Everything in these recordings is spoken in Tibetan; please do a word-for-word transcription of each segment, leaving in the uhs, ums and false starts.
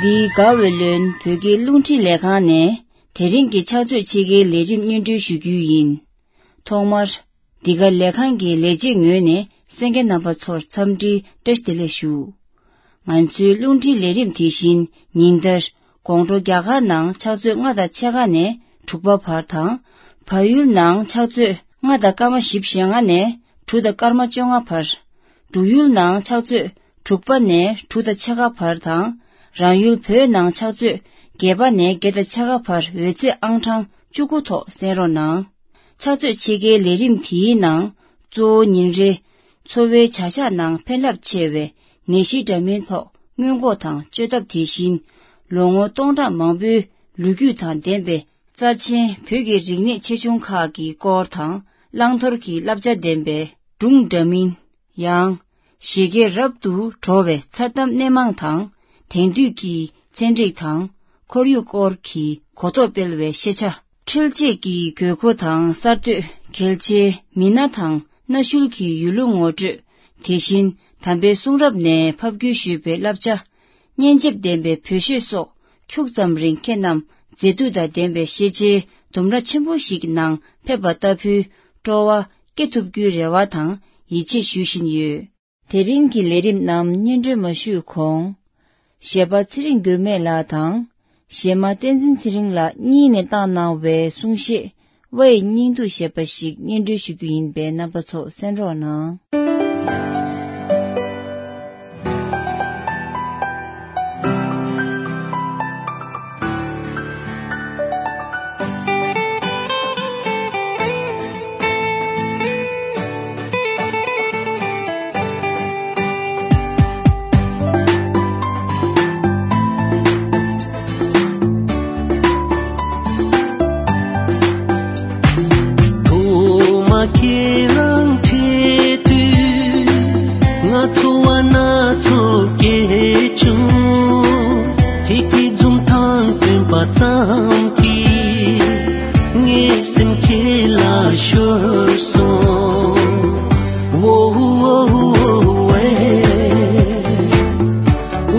འདིའི་དགའ་བའི་ལོན་བོད་ཀྱི་རླུང་འཕྲིན་ལས་ཁང་ནས་དེ་རིང་གི་ཕྱག་ཚོད་ཕྱེད་ཀའི་ལས་རིམ་སྙན་སྒྲོན་ཞུ་རྒྱུ་ཡིན། ཐོག་མར། འདི་ག་ལས་ཁང་གི་ལས་བྱེད་ངོས་ནས་གསན་མཁན་རྣམ་པ་ཚོར་འཚམས་འདྲིའི་བཀྲ་ཤིས་བདེ་ལེགས་ཞུ། ང་ཚོའི་རླུང་འཕྲིན་ལས་རིམ་དེ་བཞིན་ཉིན་ལྟར་དགོང་དྲོ་རྒྱ་གར་ནང་ཕྱག་ཚོད་ལྔ་དང་ཕྱེད་ཀ་ནས་དྲུག་པ་བར་དང་། བལ་ཡུལ་ནང་ཕྱག་ཚོད་ལྔ་དང་སྐར་མ་བཞི་བཅུ་ཞེ་ལྔ་ནས་དྲུག་དང་སྐར་མ་བཅོ་ལྔ་བར། འབྲུག་ཡུལ་ནང་ཕྱག་ཚོད་དྲུག་པ་ནས་དྲུག་དང་ཕྱེད་ཀ་བར་དང་། རང་ཡུལ་བོད་ནང་ཕྱག་ཚོད་བརྒྱད་པ་ནས་བརྒྱད་དང་ཕྱེད་ཀ་བར་འོད་ཚད་ཨང་གྲངས་བཅུ་དགུ་ཐོག་གསན་རོགས་གནང་། ཕྱག་ཚོད་ཕྱེད་ཀའི་ལས་རིམ་དེའི་ནང་གཙོ་བོ་ཉིན་རེའི་འཚོ་བའི་བྱ་གཞག་ནང་ཕན་རླབས་ཆེ་བའི་ནད་གཞི་འདྲ་མིན་ཐོག་སྔོན་འགོག་དང་བཅོས་ཐབས། དེ་བཞིན་ལོ་ངོ་སྟོང་ཕྲག་མང་པོའི་ལོ་རྒྱུས་དང་ལྡན་པའི་རྩ་ཆེན་བོད་ཀྱི་རིག་གནས་ཆེ་ཆུང་ཁག་གི་སྐོར་དང་། བླང་དོར་གྱི་བསླབ་བྱ་ལྡན་པའི་སྒྲུང་འདྲ་མིན། ཡང་། བཞད་གད་རབ་ཏུ་བྲོ་བའི་མཚར་གཏམ་སྣེ་མང་དང་། དེང་དུས་ཀྱི་ཚན་རིག་དང་ཁོར་ཡུག་སྐོར་གྱི་གོ་རྟོགས་སྤེལ་བའི་ཤེས་བྱ། འཕྲུལ་ཆས་ཀྱི་དགོས་མཁོ་དང་གསར་གཏོད། གལ་ཆེའི་མི་སྣ་དང་གནའ་ཤུལ་གྱི་ཡུལ་ལུང་ངོ་སྤྲོད། དེ་བཞིན་དམ་པའི་གསུང་རབ་ནས་ཕབ་བསྒྱུར་ཞུས་པའི་བསླབ་བྱ། སྙན་འཇེབས་ལྡན་པའི་བོད་གཞས་སོགས་ཁྱུག་ཙམ་རིང་ཁྱེད་རྣམས་མཛེས་སྡུག་དང་ལྡན་པའི་ཤེས་བྱའི་ལྡུམ་ར་ཆེན་པོ་ཞིག་ནང་ཕེབས་པ་ལྟ་བུའི་སྤྲོ་བ་སྐྱེ་ཐུབ་རྒྱུའི་རེ་བ་དང་ཡིད་ཆེས་ཞུ་བཞིན་ཡོད། དེ་རིང་གི་ལས་རིམ་རྣམས་སྙན་སྒྲོན་མ་ཞུས་གོང་། གཞས་པ་ཚེ་རིང་འགྱུར་མེད་ལགས་དང་། གཞས་མ་བསྟན་འཛིན་ཚེ་རིང་ལགས་གཉིས་ནས་བཏང་གནང་བའི་གསུང་གཞས། ཝའི་སྙིང་སྡུག་ཞེས་པ་ཞིག་སྙན་སྒྲོན་ཞུ་རྒྱུ་ཡིན་པས་རྣམ་པ་ཚོ་གསན་རོགས་གནང་། ཐོག་མ་ཁྱེད་རང་འཕྲད་དུས། ང་ཚོར་བ་སྣ་ཚོགས་སྐྱེས་བྱུང་། ཁྱེད་ཀྱི་འཛུམ་མདངས་སྟོན་པ་ཙམ་གྱིས། ངའི་སེམས་ཁྱེད་ལ་ཤོར་སོང་། ཝོ་ཝོ་ཝེ།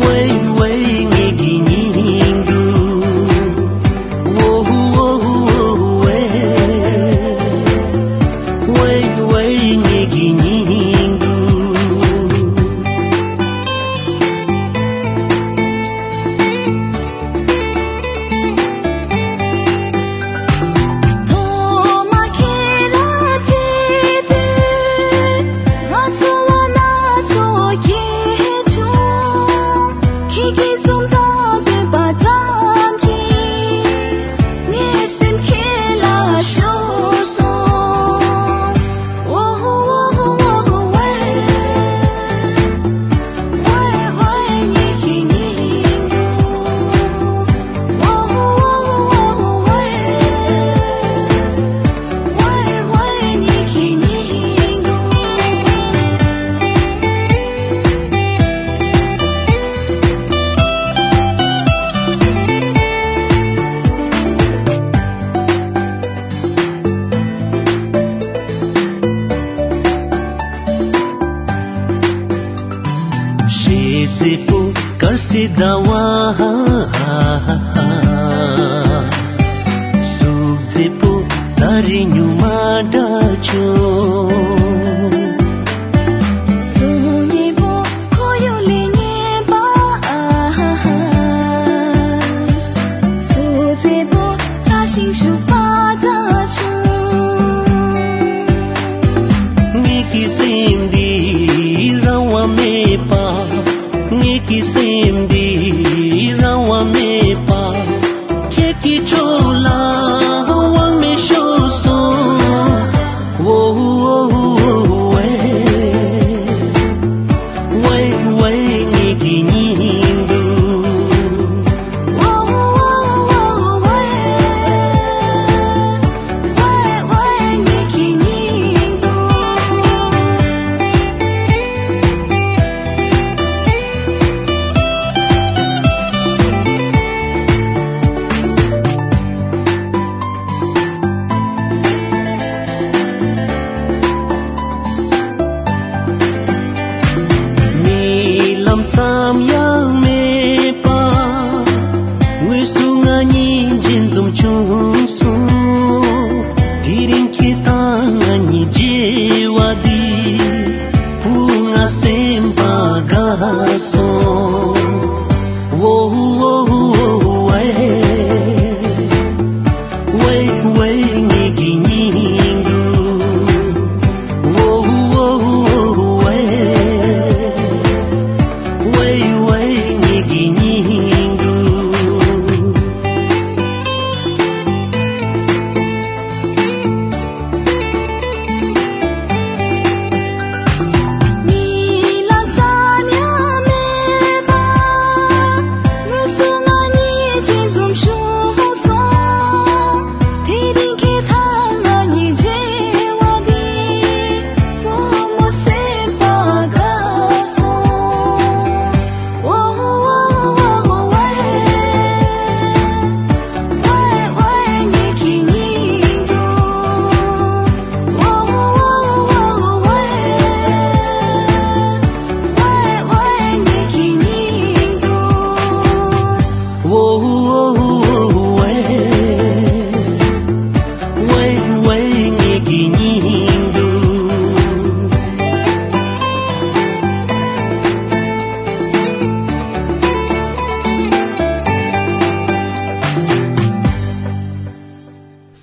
ཝེ་ཝེ་ངེད་ཀྱི་སྙིང་སྡུག། ཝོ་ཝོ་ཝེ། ཝེ་ཝེ་ངེད་ཀྱི་སྙིང་སྡུག། ཐོག་མ་ཁྱེད་ལ་ཐུག་དུས། ང་ཚོར་བ་སྣ་ཚོགས་སྐྱེས་བྱུང་། ཁྱེད་ཀྱི་འཛུམ་མདངས་སྟོན་པ་ཙམ་གྱིས། ངའི་སེམས་ཁྱེད་ལ་ཤོར་སོང་། ཝོ་ཝོ་ཝེ། ཞེ་མཛེས་པོ་དཀར་སེར་ཟླ་བ། གཟུགས་མཛེས་པོ་ཚ་རེ་ཉུང་མ་འདྲ་བྱུང་། གཟུགས་མཉེས་པོ་ཁོར་ཡུག་ལས་ངན་པ། གཟུགས་མཛེས་པོ་ལྷ་ཞིང་བཞུགས་པ་འདྲ་བྱུང་། ངེད་ཀྱི་སེམས་འདི་རང་དབང་མེད་པ། ངེད་ཀྱི་སེམས་འདི་རང་དབང་མེད་པ། ཁྱེད་ཀྱི་ཕྱོགས་ལ་དབང་མེད་ཤོར་སོང་། ཝོ་ཝོ་ཝེ། ཝེ་ཝེ་ངེད་ཀྱི་སྙིང་སྡུག།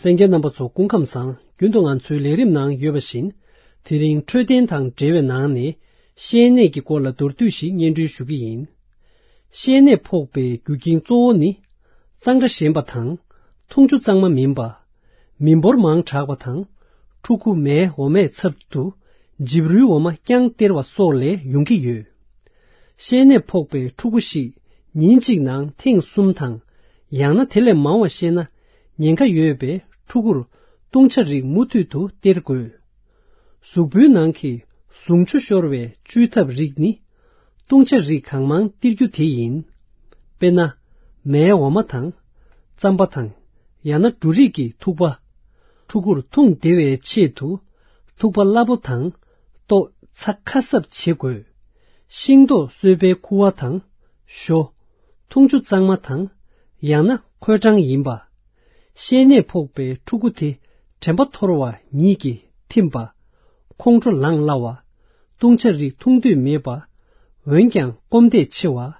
གསན་མཁན་རྣམ་པ་ཚོ་སྐུ་ཁམས་བཟང་། རྒྱུན་དུ་ང་ཚོའི་ལས་རིམ་ནང་ཡོད་པ་བཞིན། དེ་རིང་འཕྲོད་བསྟེན་དང་འབྲེལ་བའི་ནང་ནས་བཤལ་གནས་ཀྱི་སྐོར་ལ་མདོར་བསྡུས་ཤིག་སྙན་སྒྲོན་ཞུ་གི་ཡིན། བཤལ་གནས་ཕོག་པའི་རྒྱུ་རྐྱེན་གཙོ་བོ་ནི། གཙང་སྦྲ་ཞན་པ་དང་། འཐུང་ཆུ་གཙང་མ་མིན་པ། མི་འབོར་མང་དྲགས་པ་དང་། ཕྲུ་གུ་མའི་འོ་མའི་ཚབ་ཏུ་འཇིབ་རུལ་འོ་མ་རྐྱང་སྟེར་བ་སོགས་ལས་ཡོང་གི་ཡོད། བཤལ་གནས་ཕོག་པའི་ཕྲུ་གུ་ཞིག་ཉིན་གཅིག་ནང་ཐེངས་གསུམ་དང་། ཡང་ན་དེ་ལས་མང་བ་བཤལ་ན། ཉེན་ཁ་ཡོད་པས་ཕྲུ་གུར་བཏུང་བྱ་རིགས་མུ་མཐུད་དུ་སྟེར་དགོས། གཟུགས་པོའི་ནང་གི་ཟུངས་ཆུ་ཤོར་བའི་བཅོས་ཐབས་རིགས་ནི། བཏུང་བྱ་རིགས་གང་མང་སྟེར་རྒྱུ་དེ་ཡིན། དཔེར་ན། མའི་འོ་མ་དང་། རྩམ་པ་དང་། ཡང་ན་འབྲུ་རིགས་ཀྱི་ཐུག་པ། ཕྲུ་གུར་འཐུང་བདེ་བའི་ཆེད་དུ། ཐུག་པ་སླ་པོ་དང་། ལྟོ་ཚྭ་ཁ་གསབ་བྱེད་དགོས། ཤིང་ཏོག་སོས་པའི་ཁུ་བ་དང་། ཞོ། འཐུང་ཆུ་གཙང་མ་དང་། ཡང་ན་ཁོལ་གྲང་ཡིན་པ། བཤལ་ནད་ཕོག་པའི་ཕྲུ་གུ་དེ་དྲན་པ་འཐོར་བ་ཉིད་ཀྱིས་ཐིམ་པ། ཁོང་ཁྲོ་ལངས་སླ་བ། བཏུང་བྱ་རིགས་འཐུང་འདོད་མེད་པ། འོན་ཀྱང་སྐོམ་དད་ཆེ་བ།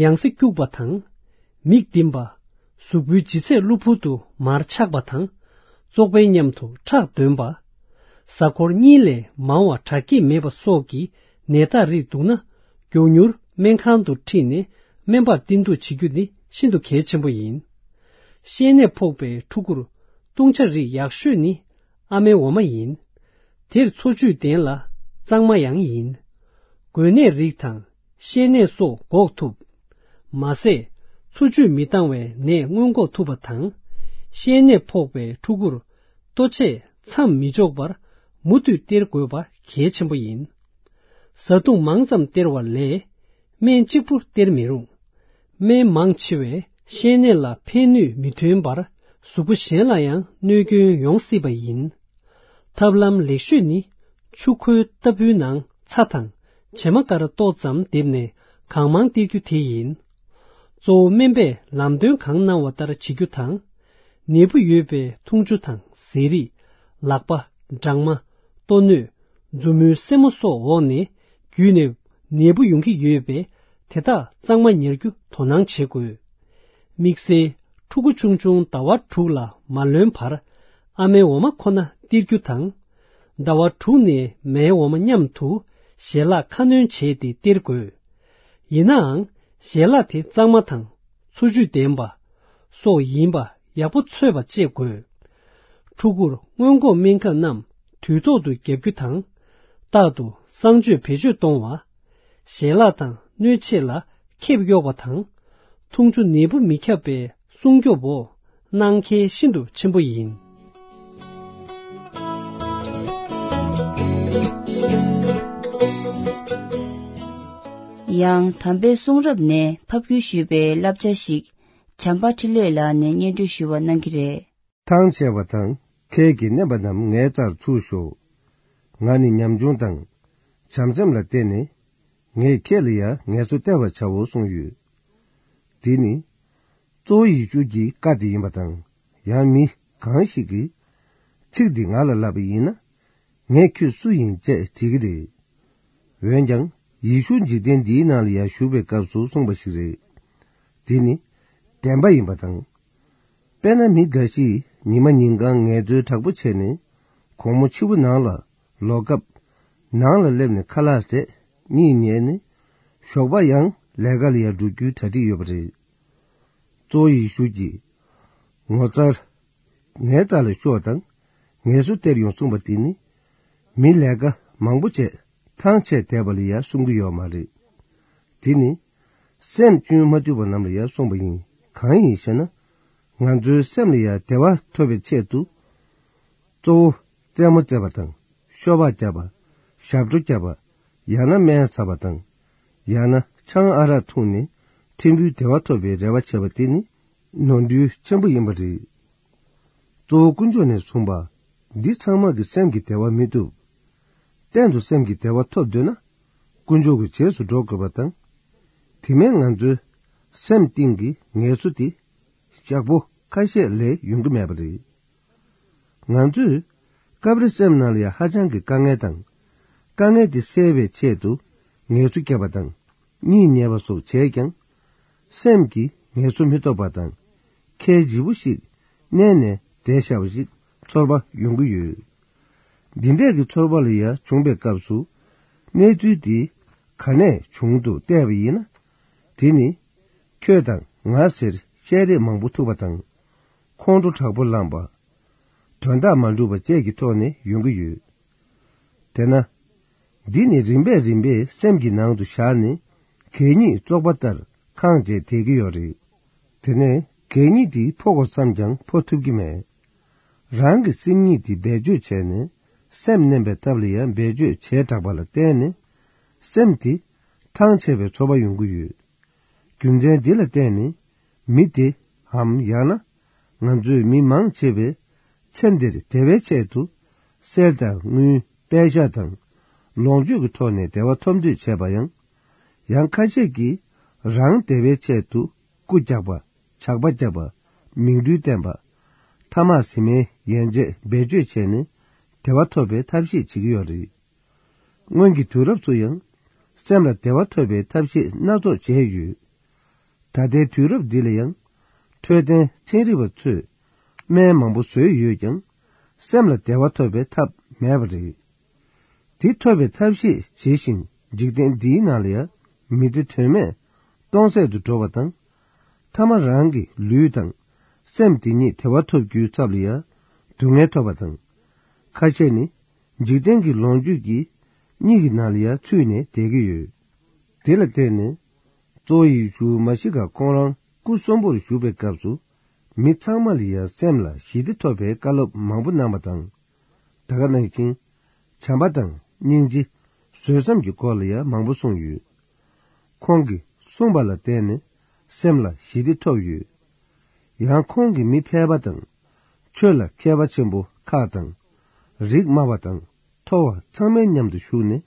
ཡང་སེ་སྐྱུག་པ་དང་། མིག་ལྡིམ་པ། གཟུགས་པོའི་ལྗིད་ཚད་གློ་བུར་དུ་མར་ཆག་པ་དང་། བཙོག་པའི་མཉམ་དུ་ཁྲག་འདོན་པ། གཟའ་འཁོར་གཉིས་ལས་མང་བ་དྲག་སྐྱེད་མེད་པ་སོགས་ཀྱི་ནད་རྟགས་རིགས་འདུག་ན། མགྱོགས་མྱུར་སྨན་ཁང་དུ་ཁྲིད་ནས་སྨན་པར་བསྟེན་གཏུག་བྱེད་རྒྱུ་ནི་ཤིན་ཏུ་གལ་ཆེན་པོ་ཡིན། བཤལ་ནད་ཕོག་པའི་ཕྲུ་གུར་བཏུང་བྱ་རིགས་ཡག་ཤོས་ནི་ཨ་མའི་འོ་མ་ཡིན། དེར་འཚོ་བཅུད་ལྡན་ལ་གཙང་མ་ཡང་ཡིན། འགོས་ནད་རིགས་དང་བཤལ་ནད་སོགས་འགོག་ཐུབ། མ་ཟད། འཚོ་བཅུད་མི་འདང་བའི་ནད་སྔོན་འགོག་ཐུབ་པ་དང་། བཤལ་ནད་ཕོག་པའི་ཕྲུ་གུར་ལྟོ་ཆས་མཚམས་མི་འཇོག་པར་མུ་མཐུད་སྟེར་དགོས་པ་གལ་ཆེན་པོ་ཡིན། བཟའ་བཏུང་མང་ཙམ་སྟེར་བ་ལས་སྨན་གཅིག་པུ་སྟེར་མི་རུང་། སྨན་མང་ཆེ་བས་བཤལ་ནད་ལ་ཕན་ནུས་མི་ཐོན་པར་གཟུགས་པོ་གཞན་ལ་ཡང་གནོད་སྐྱོན་ཡོང་སྲིད་པ་ཡིན། ཐབས་ལམ་ལེགས་ཤོས་ནི་ཆུ་ཁོལ་ལྟ་བུའི་ནང་ཚྭ་དང་བྱེ་མ་ཀ་ར་ཏོག་ཙམ་བསྡེབས་ནས་གང་མང་སྟེར་རྒྱུ་དེ་ཡིན། གཙོ་བོ་སྨན་པས་ལམ་སྟོན་གང་གནང་བ་ལྟར་བྱེད་རྒྱུ་དང་། ནད་འབུ་ཡོད་པའི་འཐུང་ཆུ་དང་ཟས་རིགས། ལག་པ། སྦྲང་མ། ལྟོ་སྣོད། མཛུབ་མོའི་སེན་མོ་སོགས་འོག་ནས་བརྒྱུད་ནས་ནད་འབུ་ཡོང་གི་ཡོད་པས། དེ་དག་གཙང་མ་ཉར་རྒྱུ་དོ་སྣང་བྱེད་དགོས། དམིགས་བསལ་ཕྲུ་གུ་ཆུང་ཆུང་ཟླ་བ་དྲུག་ལ་མ་ལོན་བར་ཨ་མའི་འོ་མ་ཁོ་ན་སྟེར་རྒྱུ་དང་། ཟླ་བ་དྲུག་ནས་མའི་འོ་མ་མཉམ་དུ་ཞལ་ལག་ཁ་སྣོན་བྱས་ཏེ་སྟེར་དགོས། ཡིན་ནའང་ཞལ་ལག་དེ་གཙང་མ་དང་། འཚོ་བཅུད་ལྡན་པ། སོགས་ཡིན་པ་ཡག་པོ་ཚོད་པ་བཅས་དགོས། ཕྲུ་གུར་སྔོན་འགོག་སྨན་ཁབ་རྣམས་དུས་ཐོག་ཏུ་བརྒྱབ་རྒྱུ་དང་། རྟག་ཏུ་གསང་སྤྱོད་བེད་སྤྱོད་གཏོང་བ། ཞལ་ལག་དང་སྣོད་ཆས་ལ་ཁེབས་གཡོག་པ་དང་། འཐུང་ཆུ་ནད་འབུ་མི་ཁྱབ་པའི་སྲུང་སྐྱོབ་འོག་གནང་གལ་ཤིན་ཏུ་ཆེན་པོ་ཡིན། ཡང་དམ་པའི་གསུང་རབ་ནས་ཕབ་བསྒྱུར་ཞུས་པའི་བསླབ་བྱ་ཞིག་བྱམས་པ་འཕྲིན་ལས་ལགས་ནས་སྙན་སྒྲོན་ཞུ་བ་གནང་གི་རེད། ཐང་ཆད་པ་དང་ཁལ་གྱིས་མནན་པ་རྣམས་ངའི་རྩར་ཚུར་ཤོག། ང་ནི་ཉམ་ཆུང་དང་། བྱམས་སེམས་ལ་བརྟེན་ནས། ངས་ཁྱེད་ལ་ཡང་ངལ་གསོ་སྟེར་བར་བྱའོ་གསུངས་ཡོད། འདི་ནི། གཙོ་བོ་ཡིག་སྒྱུར་གྱི་བཀའ་དེ་ཡིན་པ་དང་། ཡང་མི་གང་ཞིག་གིས། ཚིག་འདི་ང་ལ་ལབ་པ་ཡིན་ན། ངས་ཁྱོད་སུ་ཡིན་ཅེས་དྲིས་ཀྱི་རེད། འོན་ཀྱང་ ཡེ་ཤུ་འཇིག་རྟེན་འདིའི་ནང་ལ་ཡང་བཞུགས་པའི་སྐབས་སུ་གསུངས་པ་ཞིག་རེད། འདི་ནི་བདེན་པ་ཡིན་པ་དང་། དཔེར་ན་མི་འགའ་ཞིག་ཉི་མ་ཉིན་གང་ངལ་རྩོལ་དྲག་པོ་བྱས་ནས་དགོང་མོ་ཕྱི་པོ་ནང་ལ་ལོག་སྐབས། ནང་ལ་སླེབས་ནས་ཁ་ལག་བཟས། གཉིད་ཉལ་ནས་ཞོགས་པ་ཡང་ལས་ཀ་ལ་ཡང་འགྲོ་རྒྱུའི་གྲ་སྒྲིག་ཡོད་པ་རེད། གཙོ་བོ་ཡེ་ཤུ་གྱིས་ངོ་མཚར། ངའི་རྩ་ལ་ཤོག་དང་ངལ་གསོ་སྟེར་ཡོང་གསུངས་པ་དེ་ནི། མི་ལས་ཀ་མང་པོ་བྱས་ཐང་ཆད་བསྡད་པ་ལ་ཡང་གསུང་གི་ཡོད་མ་རེད། དེ་ནི་སེམས་བཅོས་མ་ཐུབ་པ་རྣམས་ལ་ཡང་གསུངས་པ་ཡིན། གང་ཡིན་ཞེ་ན། ང་ཚོའི་སེམས་ལ་ཡང་བདེ་བ་ཐོབ་པའི་ཆེད་དུ། གཙོ་བོ་རྩེད་མོ་རྩེ་བ་དང་ཤོ་སྦག་རྒྱབ་པ། ཞབས་བྲོ་རྒྱབ་པ། ཡང་ན་སྨན་ཟ་བ་དང་། ཡང་ན་ཆང་ཨ་རག་འཐུང་ནས་ཕྲན་བུའི་བདེ་བ་ཐོབ་པའི་རེ་བ་བྱེད་པ་དེ་ནི་ནོར་འཁྲུལ་ཆེན་པོ་ཡིན་པ་རེད། གཙོ་བོ་དཀོན་མཆོག་ནས་གསུངས་པ། འདི་ཚང་མ་གི་སེམས་ཀྱི་བདེ་བ་མི་ཐུབ། གཏན་དུ་སེམས་ཀྱི་བདེ་བ་ཐོབ་འདོད་ན། དཀོན་མཆོག་གི་རྗེས་སུ་འགྲོ་དགོས་པ་དང་། དེ་མིན་ང་ཚོའི་སེམས་གཏིང་གི་ངལ་གསོ་དེ་ཞག་པོ་ཁ་ཤས་ལས་ཡོང་གི་མེད་པ་རེད། ང་ཚོས་སྐབས་རེ་སེམས་ནང་ལ་ཡང་ཧ་ཅང་གི་དཀའ་ངལ་དང་། དཀའ་ངལ་དེ་སེལ་བའི་ཆེད་དུ་ངལ་གསོ་བརྒྱབ་པ་དང་། གཉིད་ཉལ་བ་སོགས་བྱས་ཀྱང་། སེམས་ཀྱི་ངལ་གསོ་མི་ཐོབ་པ་དང་། ཁྱེད་ལྗིད་པོ་ཞིག་མནན་ནས་བསྡད་བཞག་པ་ཞིག་ཚོར་བ་ཡོང་གི་ཡོད། འདི་འདྲས་ཀྱི་ཚོར་བ་ལ་ཡང་བྱུང་བའི་སྐབས་སུ། གནས་ཚུལ་འདི་ག་ནས་བྱུང་འདུག་བལྟས་པ་ཡིན་ན། དེ་ནི་ཁྱོད་དང་ང་ཟེར་བཤད་རེས་མང་པོ་ཐུག་པ་དང་། ཁོང་ཁྲོ་དྲག་པོ་ལངས་པ། དོན་དག་མ་འགྲུབ་པ་བཅས་ཀྱི་ཐོག་ནས་ཡོང་གི་ཡོད། དེས་ན། འདི་ནི་རིམ་པས་རིམ་པས་སེམས་ཀྱི་ནང་དུ་བཞག་ནས་གད་སྙིགས་བཙོག་པ་ལྟར་ཁེངས་བྱས་བསྡད་ཀྱི་ཡོད་རེད། དེ་ནས་གད་སྙིགས་འདི་ཕོག་དགོས་བསམ་ཀྱང་ཕོག་ཐུབ་ཀྱི་མེད། རང་གི་སེམས་ཉིད་འདི་བེད་སྤྱོད་བྱས་ནས་སེམས་མནན་པའི་ཐབས་ལ་ཡང་བེད་སྤྱོད་བྱས་དྲགས་པ་ལ་བརྟེན་ནས་སེམས་དེ་ཐང་ཆད་པའི་ཚོར་བ་ཡོང་གི་ཡོད། རྒྱུ་མཚན་འདི་ལ་བརྟེན་ནས་མི་དེའམ་ཡང་ན་ང་ཚོའི་མི་མང་ཆེ་བས་ཚེ་འདིར་བདེ་བའི་ཆེད་དུ་གསེར་དང་དངུལ་པད་ཤག་དང་ལོངས་སྤྱོད་ཀྱི་ཐོག་ནས་བདེ་བ་ཐོབ་འདོད་བྱས་པ་ཡང་། ཡང་ཁ་ཤས་ཀྱིས་རང་བདེ་བའི་ཆེད་དུ་རྐུ་རྒྱག་པ། ཇག་པ་རྒྱག་པ། མིང་རུལ་བསྟན་པ། ཐ་མག་ཟིན་མའི་ཡན་ཆད་བེད་སྤྱོད་བྱས་ནས་བདེ་བ་ཐོབ་པའི་ཐབས་ཤེས་བྱེད་ཀྱི་ཡོད་རེད། སྔོན་གྱི་དུས་རབས་སུ་ཡང་སེམས་ལ་བདེ་བ་ཐོབ་པའི་ཐབས་ཤེས་སྣ་ཚོགས་བྱས་ཡོད། ད་ལྟའི་དུས་རབས་འདི་ལ་ཡང་འཕྲོད་བསྟེན་ཚན་རིག་པ་ཚོས་སྨན་མང་པོ་བཟོས་ཡོད་ཀྱང་། སེམས་ལ་བདེ་བ་ཐོབ་པའི་ཐབས་མེད་པ་རེད། དེ་ཐོབ་པའི་ཐབས་ཤེས་བྱེད་བཞིན་འཇིག་རྟེན་འདིའི་ནང་ལ་ཡང་མི་ཚེ་དོན་མེད་སྟོང་ཟད་དུ་འགྲོ་བ་དང་། ཐ་མ་རང་གི་ལུས་དང་སེམས་དེ་ཉིད་བདེ་བ་ཐོབ་རྒྱུའི་ཚབ་ལ་ཡང་སྡུག་བསྔལ་ཐོབ་པ་དང་། ཁ་ཤས་ནི་འཇིག་རྟེན་གྱི་ལོངས་སྤྱོད་ཀྱི་གཉིད་ཀྱི་ནང་ལ་ཡང་ཚུད་ནས་བསྡད་ཀྱི་ཡོད། དེ་ལ་བརྟེན་ནས་གཙོ་བོ་ཡེ་ཤུ་མཱ་ཤི་ཀ་ཁོང་རང་སྐུ་གསོན་པོར་བཞུགས་པའི་སྐབས་སུ། མི་ཚང་མ་ལ་ཡང་སེམས་ལ་ཞི་བདེ་ཐོབ་པའི་བཀའ་སློབ་མང་པོ་གནང་བ་དང་། ད་ག་ནང་བཞིན་བྱམས་པ་དང་སྙིང་རྗེ། བཟོད་བསམ་གྱི་སྐོར་ལ་ཡང་མང་པོ་གསུངས་ཡོད། ཁོང་གིས་གསུངས་པ་ལ་བརྟེན་ནས་སེམས་ལ་ཞི་བདེ་ཐོབ་ཡོད། ཡང་ཁོང་གིས་མི་ཕལ་པ་དང་། ཆོས་ལ་མཁས་པ་ཆེན་པོ་ཁག་དང་། རིགས་དམའ་བ་དང་མཐོ་བ་ཚང་མའི་མཉམ་དུ་བཞུགས་ནས་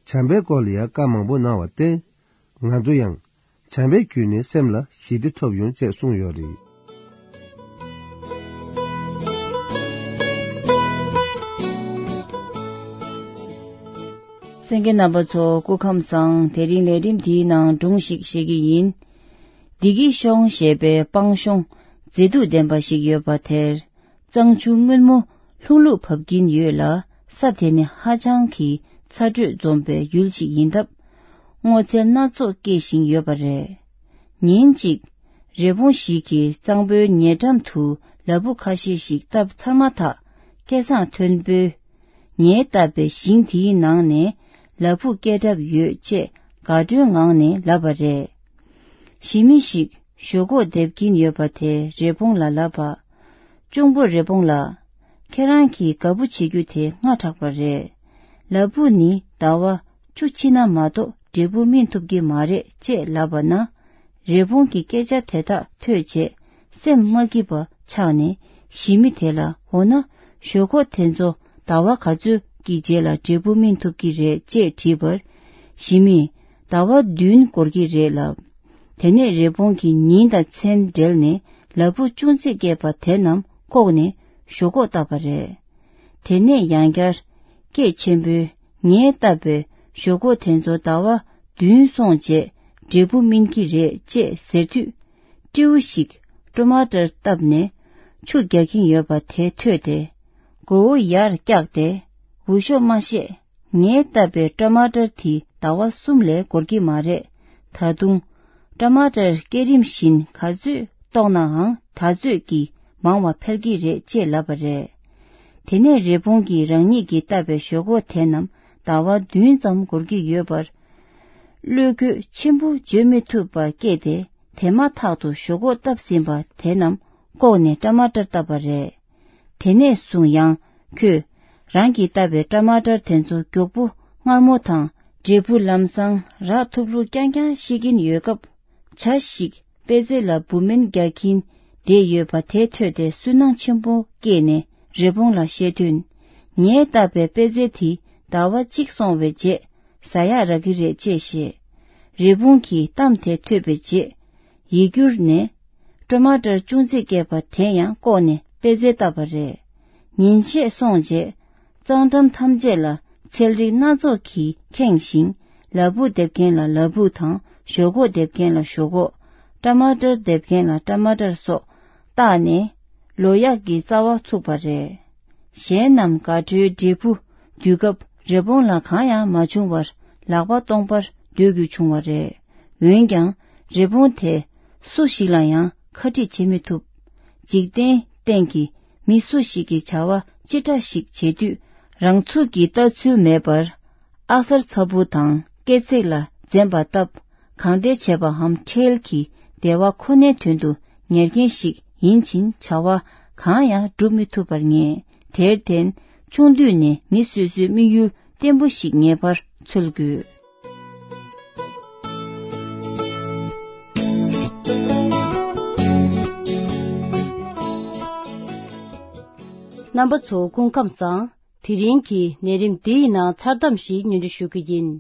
བྱམས་པའི་སྐོར་ལ་ཡང་བཀའ་མང་པོ་གནང་བ་སྟེ། ང་ཚོ་ཡང་བྱམས་པའི་བརྒྱུད་ནས་སེམས་ལ་ཞི་བདེ་ཐོབ་ཡོང་ཅེས་གསུངས་ཡོད་རེད། གསན་མཁན་རྣམ་པ་ཚོ་སྐུ་ཁམས་བཟང་། དེ་རིང་ལས་རིམ་འདིའི་ནང་སྒྲུང་ཞིག་བཤད་ཀྱི་ཡིན། བདེ་སྐྱིད་ཤོང་ཞེས་པའི་སྤང་གཤོང་མཛེས་སྡུག་ལྡན་པ་ཞིག་ཡོད་པ་དེར། གཙང་ཆུ་སྔོན་མོ་ལྷུང་ལྷུང་བབས་ཀྱིན་ཡོད་ལ། ས་དེ་ནི་ཧ་ཅང་གི་ཚ་དྲོད་འཛོམས་པའི་ཡུལ་ཞིག་ཡིན་སྟབས། སྔོ་ཚལ་སྣ་ཚོགས་སྐྱེས་ཤིང་ཡོད་པ་རེད། ཉིན་གཅིག་རི་བོང་ཞིག་གིས་གཙང་པོའི་ཉེ་འགྲམ་དུ་ལ་ཕུག་ཁ་ཤས་ཤིག་བཏབ་ཚར་མ་ཐག་སྐལ་བཟང་མཐོན་པོས། ངས་བཏབ་པའི་ཞིང་དེའི་ནང་ནས་ལ་ཕུག་སྐྱེས་གྲབས་ཡོད་ཅེས་དགའ་སྤྲོའི་ངང་ནས་ལབ་པ་རེད། ཞི་མི་ཞིག་ཞོག་ཁོག་འདེབས་ཀྱིན་ཡོད་པ་དེས་རི་བོང་ལ་ལབ་པ། གཅུང་པོ་རི་བོང་ལགས། ཁྱེད་རང་གིས་དགའ་པོ་བྱེད་རྒྱུ་དེ་སྔ་དྲགས་པ་རེད། ལ་ཕུག་ནི་ཟླ་བ་བཅུ་ཕྱིན་ན་མ་གཏོགས་འབྲས་བུ་སྨིན་ཐུབ་ཀྱི་མ་རེད་ཅེས་ལབ་པ་ན། རི་བོང་གི་སྐད་ཆ་དེ་དག་ཐོས་རྗེས་སེམས་མ་སྐྱིད་པ་ཆགས་ནས། ཞི་མི་དེ་ལ། འོ་ན་ཞོག་ཁོག་དེ་ཚོ་ཟླ་བ་ག་ཚོད་ཀྱི་རྗེས་ལ་འབྲས་བུ་སྨིན་ཐུབ་ཀྱི་རེད་ཅེས་དྲིས་པར། ཞི་མིས་ཟླ་བ་བདུན་འགོར་གྱི་རེད་ལབ། དེ་ནས་རི་བོང་གིས་ཉིན་དང་མཚན་སྦྲེལ་ནས་ལ་ཕུག་ཅུང་ཟད་སྐྱེས་པ་དེ་རྣམས་བཀོག་ནས་ཞོག་ཁོག་བཏབ་པ་རེད། དེ་ནས་ཡང་བསྐྱར་སྐད་ཆེན་པོས། ངས་བཏབ་པའི་ཞོག་ཁོག་དེ་ཚོ་ཟླ་བ་ བདུན་སོང་རྗེས་འབྲས་བུ་སྨིན་གྱི་རེད་ཅེས་ཟེར་དུས། སྤྲེའུ་ཞིག་ཊོ་མ་ཊར་བཏབ་ནས་ཆུ་རྒྱག་གིན་ཡོད་པ་དེ་ཐོས་ཏེ། མགོ་བོ་ཡར་བཀྱགས་ཏེ། འུ་ཤོག་མ་བཤད། ངས་བཏབ་པའི་ཊོ་མ་ཊར་དེ་ཟླ་བ་གསུམ་ལས་འགོར་གྱི་མ་རེད། ད་དུང་ཊོ་མ་ཊར་སྐས་རིམ་བཞིན་ག་ཚོད་བཏོག་ནའང་ད་ཚོད་ཀྱིས་མང་བ་འཕེལ་གྱི་རེད་ཅེས་ལབ་པ་རེད། དེ་ནས་རི་བོང་གིས་རང་ཉིད་ཀྱིས་བཏབ་པའི་ཞོག་ཁོག་དེ་རྣམས་ཟླ་བ་བདུན་ཙམ་འགོར་གྱི་ཡོད་པར། བློས་འགྱོད་ཆེན་པོ་བརྗོད་མི་ཐུབ་པ་སྐྱེས་ཏེ། དེ་མ་ཐག་ཏུ་ཞོག་ཁོག་བཏབ་ཟིན་པ་དེ་རྣམས་བཀོག་ནས་ཊོ་མ་ཊར་བཏབ་པ་རེད། དེ་ནས་བཟུང་ཡང་ཁོས་རང་གིས་བཏབ་པའི་ཊོ་མ་ཊར་དེ་ཚོ་མགྱོགས་པོ་མངར་མོ་དང་འབྲས་བུ་ལམ་སང་རག་ཐུབ་ལུགས་རྐྱང་རྐྱང་ཤེས་ཀྱིན་ཡོད་སྐབས། བྱ་ཞིག་པད་ཚལ་ལ་འབུ་སྨན་རྒྱག་གིན་བསྡད་ཡོད་པ་དེ་ཐོས་ཏེ་སུན་སྣང་ཆེན་པོ་སྐྱེས་ནས་རི་བོང་ལ་བཤད་དོན། ངས་བཏབ་པའི་པད་ཚལ་དེ་ཟླ་བ་གཅིག་སོང་བའི་རྗེས་ཟ་ཡག་རག་གི་རེད་ཅེས་བཤད། རི་བོང་གི་གཏམ་དེ་ཐོས་པའི་རྗེས། ཡིད་འགྱུར་ནས། ཊོ་མ་ཊར་ཅུང་ཟད་སྐྱེས་པ་དེ་ཡང་བཀོག་ནས་པད་ཚལ་བཏབ་པ་རེད། ཉིན་ཤས་སོང་རྗེས། གཙང་འགྲམ་ཐམས་ཅད་ལ་ཚལ་རིགས་སྣ་ཚོགས་ཀྱིས་ཁེངས་ཤིང་། ལ་ཕུག་འདེབས་མཁན་ལ་ལ་ཕུག་དང་ཞོག་ཁོག་འདེབས་མཁན་ལ་ཞོག་ཁོག་ཊོ་མ་ཊར་འདེབས་མཁན་ལ་ཊོ་མ་ཊར་སོགས་བཏགས་ནས་ལོ་ཡག་གི་རྩ་བ་ཚུགས་པ་རེད། གཞན་རྣམས་དགའ་སྤྲོའི་འབྲས་བུ་འདུས་སྐབས་རི་བོང་ལ་གང་ཡང་མ་བྱུང་བར་ལག་པ་སྟོང་པར་སྡོད་དགོས་བྱུང་བ་རེད། འོན་ཀྱང་རི་བོང་དེ་སུ་ཞིག་ལ་ཡང་ཁ་འཁྲིད་བྱེད་མི་ཐུབ། འཇིག་རྟེན་སྟེང་གི་མི་སུ་ཞིག་གིས་བྱ་བ་ཅི་འདྲ་ཞིག་བྱེད་དུས་རང་ཚུགས་ཀྱི་ལྟ་ཚུལ་མེད་པར། ཨ་གསར་ཚ་བུ་དང་སྐེ་ཚེགས་ལ་འཛེམ་པ་བཏབ། གང་བདེ་བྱས་པའམ་ཁྲེལ་གྱིས་བདེ་བ་ཁོ་ནའི་དོན་དུ་ཉར་མཁན་ཞིག་ཡིན་ཕྱིན་བྱ་བ་གང་ཡང་སྒྲུབ་མི་ཐུབ་པར་ངེས། དེར་བརྟེན་ཆུང་དུས་ནས་མི་སོ་སོའི་དམིགས་ཡུལ་བརྟན་པོ་ཞིག་ངེས་པར་འཚོལ་དགོས། རྣམ་པ་ཚོ་སྐུ་ཁམས་བཟང་། དེ་རིང་གི་ལས་རིམ་འདིའི་ནང་མཚར་གཏམ་ཞིག་སྙན་སྒྲོན་ཞུ་གི་ཡིན།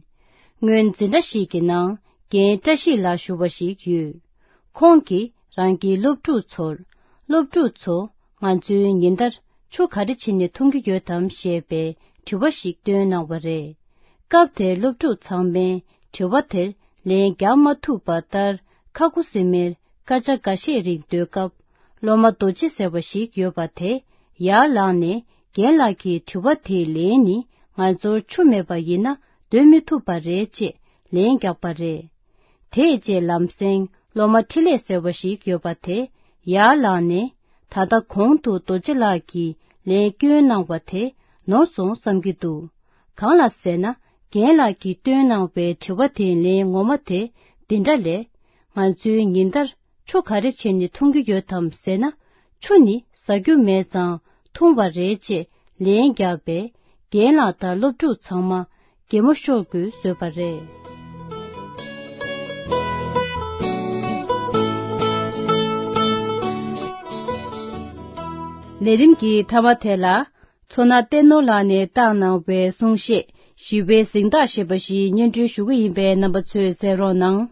སྔོན་འཛིན་གྲྭ་ཞིག་གི་ནང་རྒན་བཀྲ་ཤིས་ལགས་ཞུ་བ་ཞིག་ཡོད། ཁོང་གིས་རང་གི་སློབ་ཕྲུག་ཚོར། སློབ་ཕྲུག་ཚོ་ང་ཚོའི་ཉིན་ལྟར་ཆུ་ག་རེ་བྱིན་ནས་འཐུང་གི་ཡོད་དམ་ཞེས་པའི་དྲི་བ་ཞིག་བཏོན་གནང་བ་རེད། སྐབས་དེར་སློབ་ཕྲུག་ཚང་མས་དྲི་བ་དེར་ལན་རྒྱག་མ་ཐུབ་པ་ལྟར་ཁ་ཁུ་སིམ་མེར་སྐར་ཆ་འགའ་ཤས་རིང་སྡོད་སྐབས། སློབ་མ་རྡོ་རྗེ་ཟེར་བ་ཞིག་ཡོད་པ་དེ་ཡར་ལངས་ནས་རྒན་ལགས་ཀྱི་དྲི་བ་དེའི་ལན་ནི་ང་ཚོར་ཆུ་མེད་པ་ཡིན་ན་སྡོད་མི་ཐུབ་པ་རེད་ཅེས་ལན་བརྒྱབ་པ་རེད། དེའི་རྗེས་ལམ་སེང་སློབ་མ་འཕྲིན་ལས་ཟེར་བ་ཞིག་ཡོད་པ་དེ་ཡར་ལངས་ནས་ད་ལྟ་གོང་དུ་རྡོ་རྗེ་ལགས་ཀྱིས་ལན་བསྐྱོན་གནང་བ་དེ་ནོར་སོང་བསམ་གྱི་འདུག་གང་ལ་ཟེར་ན་རྒན་ལགས་ཀྱིས་བཏོན་གནང་བའི་དྲི་བ་དེའི་ལན་ངོ་མ་དེ་འདི་འདྲ་ལས། ང་ཚོའི་ཉིན་ལྟར་ཆུ་ག་རེ་བྱས་ནས་འཐུང་གི་ཡོད་དམ་ཟེར་ན། ཆུ་ནི་ཟ་རྒྱུ་མེད་ཙང་འཐུང་བ་རེད་ཅེས་ལན་བརྒྱབ་པས་རྒན་ལགས་དང་སློབ་ཕྲུག་ཚང་མ་གད་མོ་ཤོར་དགོས་བཟོས་པ་རེད། ལས་རིམ་གྱི་མཐའ་མ་དེ་ལ། མཚོ་སྣ་བསྟན་ནོར་ལགས་ནས་བཏང་གནང་བའི་གསུང་བཤད་ཞི་བའི་གཟེངས་རྟགས་ཞེས་པ་ཞིག་སྙན་སྒྲོན་ཞུ་གི་ཡིན་པས་རྣམ་པ་ཚོས་གསན་རོགས་གནང་།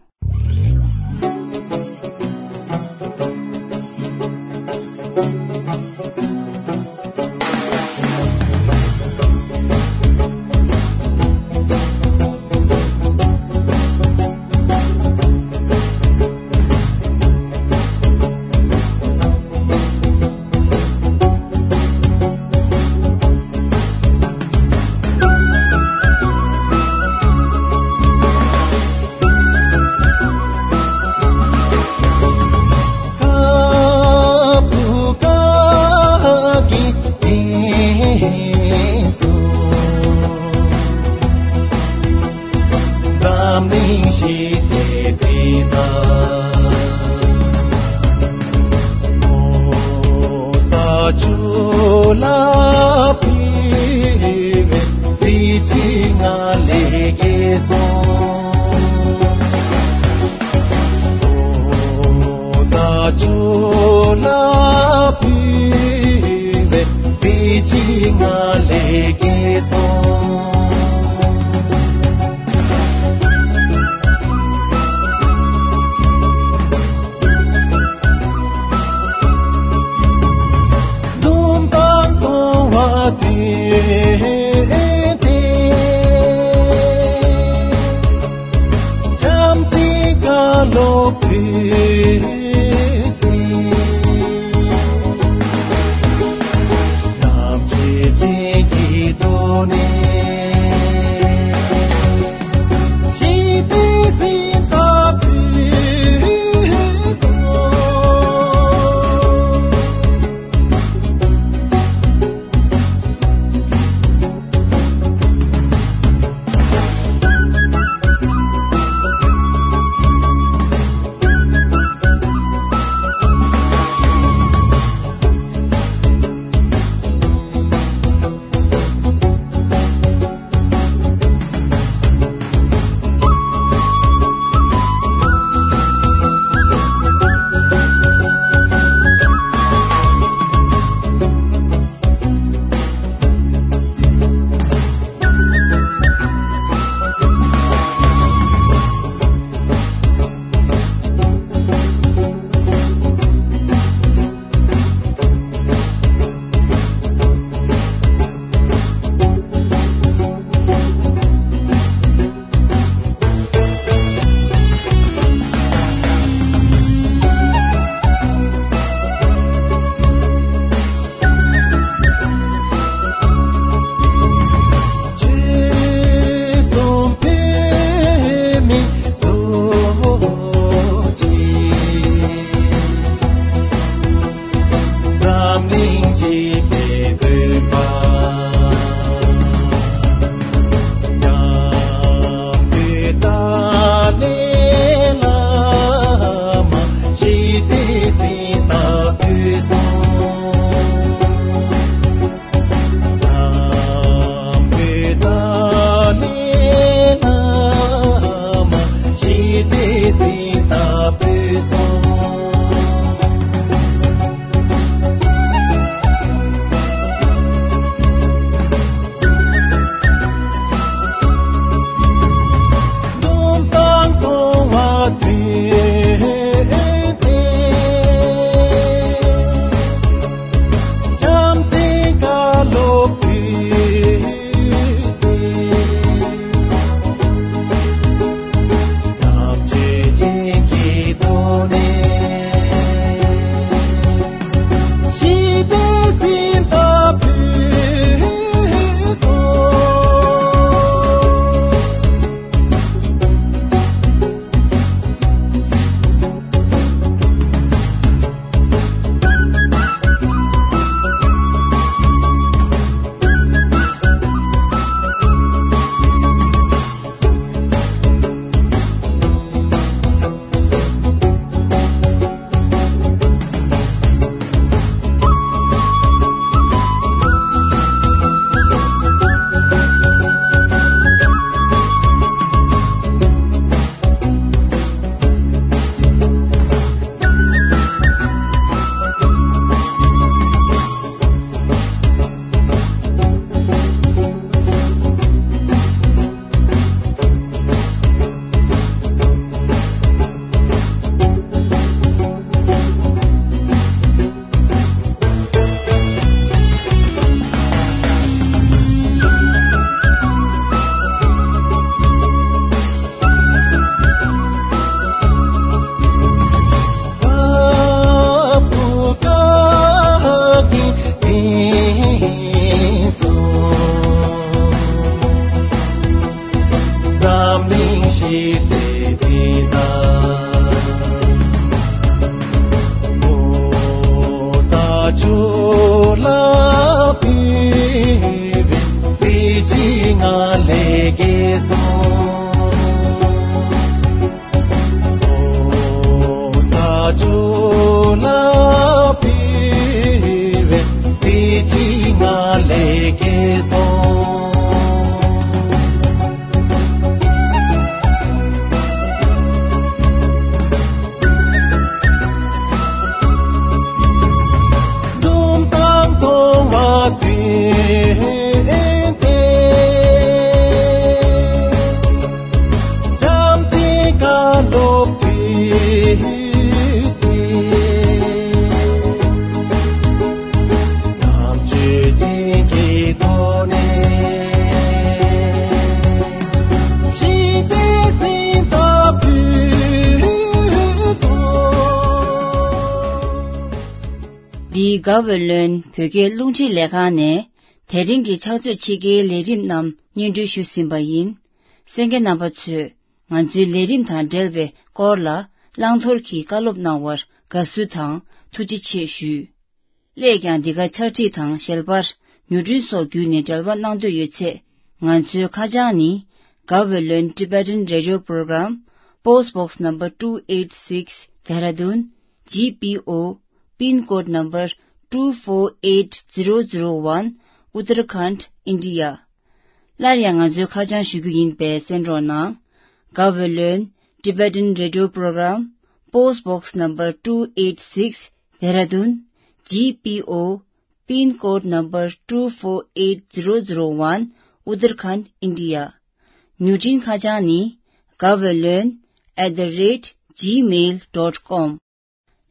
དགའ་བའི་ལོན་བོད་སྐད་རླུང་འཕྲིན་ལས་ཁང་ནས་དེ་རིང་གི་ཕྱག་ཚོད་ཕྱེད་ཀའི་ལས་རིམ་རྣམས་སྙན་སྒྲོན་ཞུས་ཟིན་པ་ཡིན། གསན་མཁན་རྣམ་པ་ཚོས་ང་ཚོའི་ལས་རིམ་དང་འབྲེལ་བའི་སྐོར་ལ་བླང་དོར་གྱི་བཀའ་སློབ་གནང་བར་དགའ་བསུ་དང་ཐུགས་རྗེ་ཆེ་ཞུ། སླད་ཀྱང་འདི་ག་ཕྱག་བྲིས་དང་ཞལ་པར་མྱུར་འཕྲིན་སོགས་བརྒྱུད་ནས་འབྲེལ་བ་གནང་འདོད་ཡོད་ཚེ། ང་ཚོའི་ཁ་བྱང་ནི། Gaweylon Tibetan Radio Program, Post Box Number two eight six, Dehradun, G P O, Pin Code Number two four eight zero zero one, Uttarakhand, India. སླར་ཡང་ང་ཚོའི་ཁ་བྱང་ཞུ་རྒྱུ་ཡིན་པས་གསན་རོགས་གནང་། Gaweylon Tibetan Radio Program, Post Box Number two eight six, Dehradun, G P O, Pin Code Number two four eight zero zero one, Uttarakhand, India. མྱུར་འཕྲིན་ཁ་བྱང་ནི། Gaweylon at the rate gmail dot com.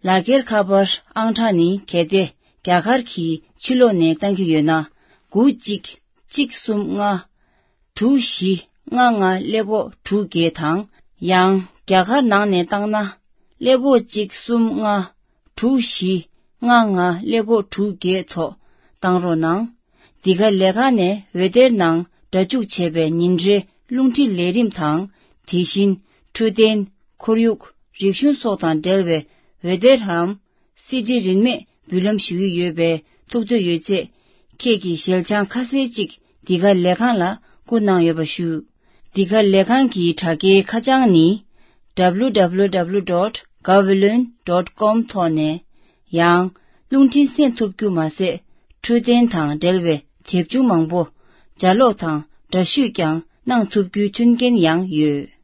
ལག་འཁྱེར་ཁ་པར་ཨང་གྲངས་ནི་གལ་ཏེ་རྒྱ་གར་གྱི་ཕྱི་ལོགས་ནས་བཏང་གི་ཡོད་ན། དགུ་གཅིག་གཅིག་གསུམ་ལྔ། དྲུག་བཞི་ལྔ་ལྔ་ཀླད་ཀོར་དྲུག་བརྒྱད་དང་། ཡང་རྒྱ་གར་ནང་ནས་བཏང་ན། ཀླད་ཀོར་གཅིག་གསུམ་ལྔ། དྲུག་བཞི་ལྔ་ལྔ་ཀླད་ཀོར་དྲུག་བརྒྱད་ཐོག་བཏང་རོགས་གནང་། འདི་ག་ལས་ཁང་ནས་འོད་སྡེར་ནང་སྒྲ་འཇུག་བྱས་པའི་ཉིན་རེའི་རླུང་འཕྲིན་ལས་རིམ་དང་། དེ་བཞིན་འཕྲོད་བསྟེན། ཁོར་ཡུག་རིག་གཞུང་སོགས་དང་འབྲེལ་བའི་འོད་སྡེར་རམ། སི་ཌི་རིན་མེད་འབུལ་ལམ་ཞུ་གི་ཡོད་པས། ཐུགས་འདོད་ཡོད་ཚེ། ཁྱེད་ཀྱི་ཞལ་བྱང་ཁ་གསལ་ཅིག་འདི་ག་ལས་ཁང་ལ་བསྐུར་གནང་ཡོད་པ་ཞུ། འདི་ག་ལས་ཁང་གི་དྲ་རྒྱའི་ཁ་བྱང་ནི། W W W dot gaweylon dot com ཐོག་ནས། ཡང་། རླུང་འཕྲིན་གསན་ཐུབ་རྒྱུ་མ་ཟད། འཕྲོད་བསྟེན་དང་འབྲེལ་བའི་དེབ་ཆུང་མང་པོ་ལྗགས་ཀློག་དང་འདྲ་བཤུས་ཀྱང་གནང་ཐུབ་རྒྱུའི་མཐུན་རྐྱེན་ཡང་ཡོད།